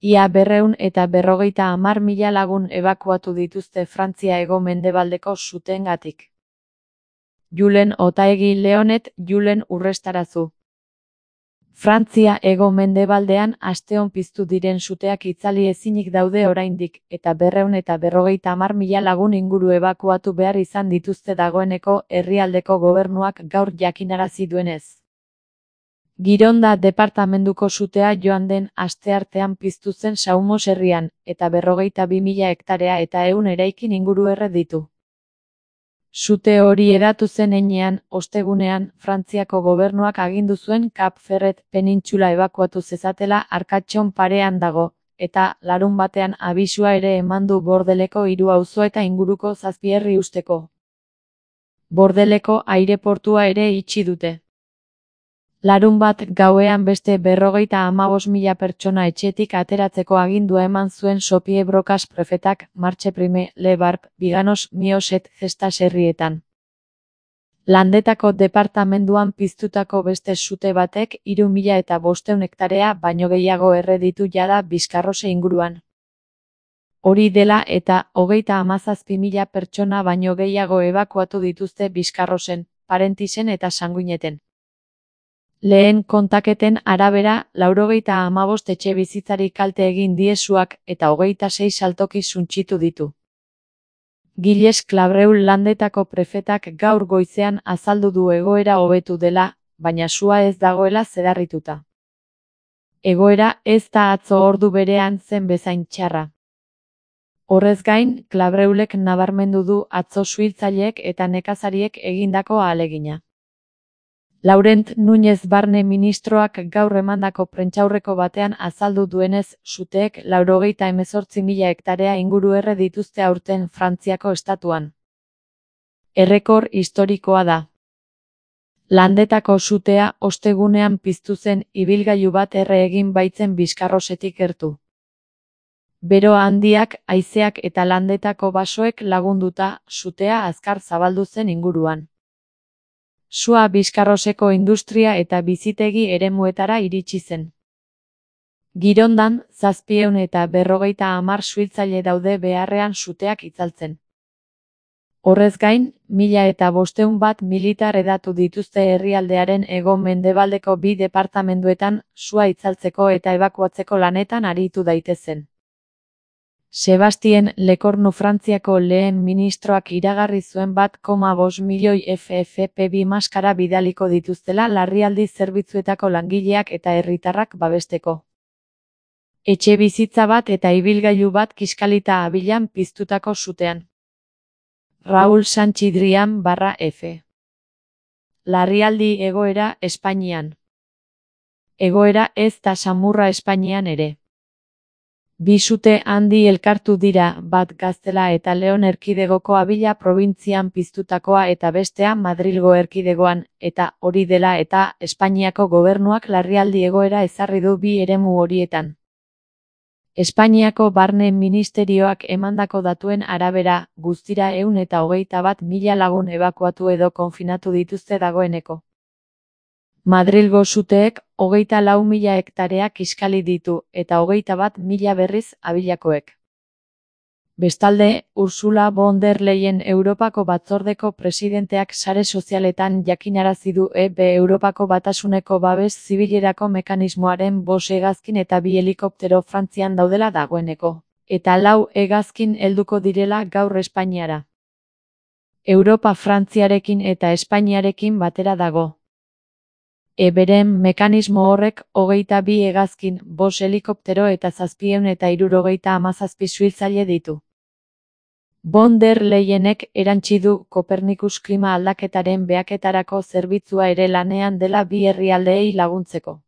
Ia 250.000 lagun ebakuatu dituzte Frantzia hego-mendebaldeko suteengatik. Julen Otaegi Leonet, Julen Urrestarazu. Frantzia hego-mendebaldean asteon piztu diren suteak itzali ezinik daude oraindik, eta 250.000 lagun inguru ebakuatu behar izan dituzte dagoeneko herrialdeko gobernuak gaur jakinarazi duenez. Gironda departamenduko sutea joan den asteartean piztu zen Saumos herrian, eta 52.000 hektarea eta 100 eraikin inguru erre ditu. Sute hori hedatu zen heinean, ostegunean, Frantziako gobernuak agindu zuen Cap Ferret penintsula ebakuatu zezatela Arkatxon parean dago, eta larunbatean abisua ere eman du Bordeleko 3 auzo eta inguruko 7 herri usteko. Bordeleko aireportua ere itxi dute. Larunbat gauean beste 55.000 pertsona etxetik ateratzeko agindua eman zuen Xavier Brocas prefetak Marche Prime, Le Barb, Biganos, Mios et Gestas herrietan. Landetako departamenduan piztutako beste sute batek 3.500 hektarea baino gehiago erre ditu jada Bizkarrose inguruan. Hori dela eta 37.000 pertsona baino gehiago ebakuatu dituzte Bizkarrosen, Parentisen eta Sanguineten. Lehen kontaketen arabera, 95 etxe bizitzari kalte egin die suak eta 26 saltoki suntsitu ditu. Gilles Clabreul landetako prefetak gaur goizean azaldu du egoera hobetu dela, baina sua ez dagoela zedarrituta. Egoera ez da atzo ordu berean zen bezain txarra. Horrez gain, Clabreulek nabarmendu du atzo suhiltzaileek eta nekazariek egindako ahalegina. Laurent Núñez barne ministroak gaur emandako prentsaurreko batean azaldu duenez, suteek 98.000 hektarea inguru erre dituzte aurten Frantziako estatuan. Errekor historikoa da. Landetako sutea ostegunean piztu zen ibilgailu bat erre egin baitzen Bizkarrosetik gertu. Bero handiak, haizeak eta landetako basoek lagunduta, sutea azkar zabaldu zen inguruan. Sua Bizkarroseko industria eta bizitegi eremuetara iritsi zen. Girondan, 750 suhiltzaile daude beharrean suteak itzaltzen. Horrez gain, 1.500 bat militar hedatu dituzte herrialdearen hego-mendebaldeko 2 departamenduetan sua itzaltzeko eta ebakuatzeko lanetan aritu daitezen. Sebastien Lecornu Frantziako lehen ministroak iragarri zuen 1,5 milioi FFP2 maskara bidaliko dituztela larrialdi zerbitzuetako langileak eta herritarrak babesteko. Etxe bizitza bat eta ibilgailu bat kiskalita abilan piztutako sutean. Raúl Sanchidrian /F. Larrialdi egoera Espainian. Egoera ez da samurra Espainian ere. Bi sute handi elkartu dira, bat Gaztela eta Leon erkidegoko Abila probintzian piztutakoa eta bestea Madrilgo erkidegoan, eta hori dela eta Espainiako gobernuak larrialdi egoera ezarri du bi eremu horietan. Espainiako barne ministerioak emandako datuen arabera, guztira 121.000 lagun ebakuatu edo konfinatu dituzte dagoeneko. Madrilgo suteek 24.000 hektarea kiskali ditu eta 21.000 berriz Abilakoek. Bestalde, Ursula von der Leyen Europako batzordeko presidenteak sare sozialetan jakinarazi du Europako batasuneko babes zibilerako mekanismoaren 5 hegazkin eta 2 helikoptero Frantzian daudela dagoeneko, eta 4 hegazkin helduko direla gaur Espainiara. Europa Frantziarekin eta Espainiarekin batera dago. Beren mekanismo horrek 22 hegazkin, 5 helikoptero eta 737 suhiltzaile ditu. Von der Leyenek erantsi du Kopernikus klima aldaketaren behaketarako zerbitzua ere lanean dela bi herrialdeei laguntzeko.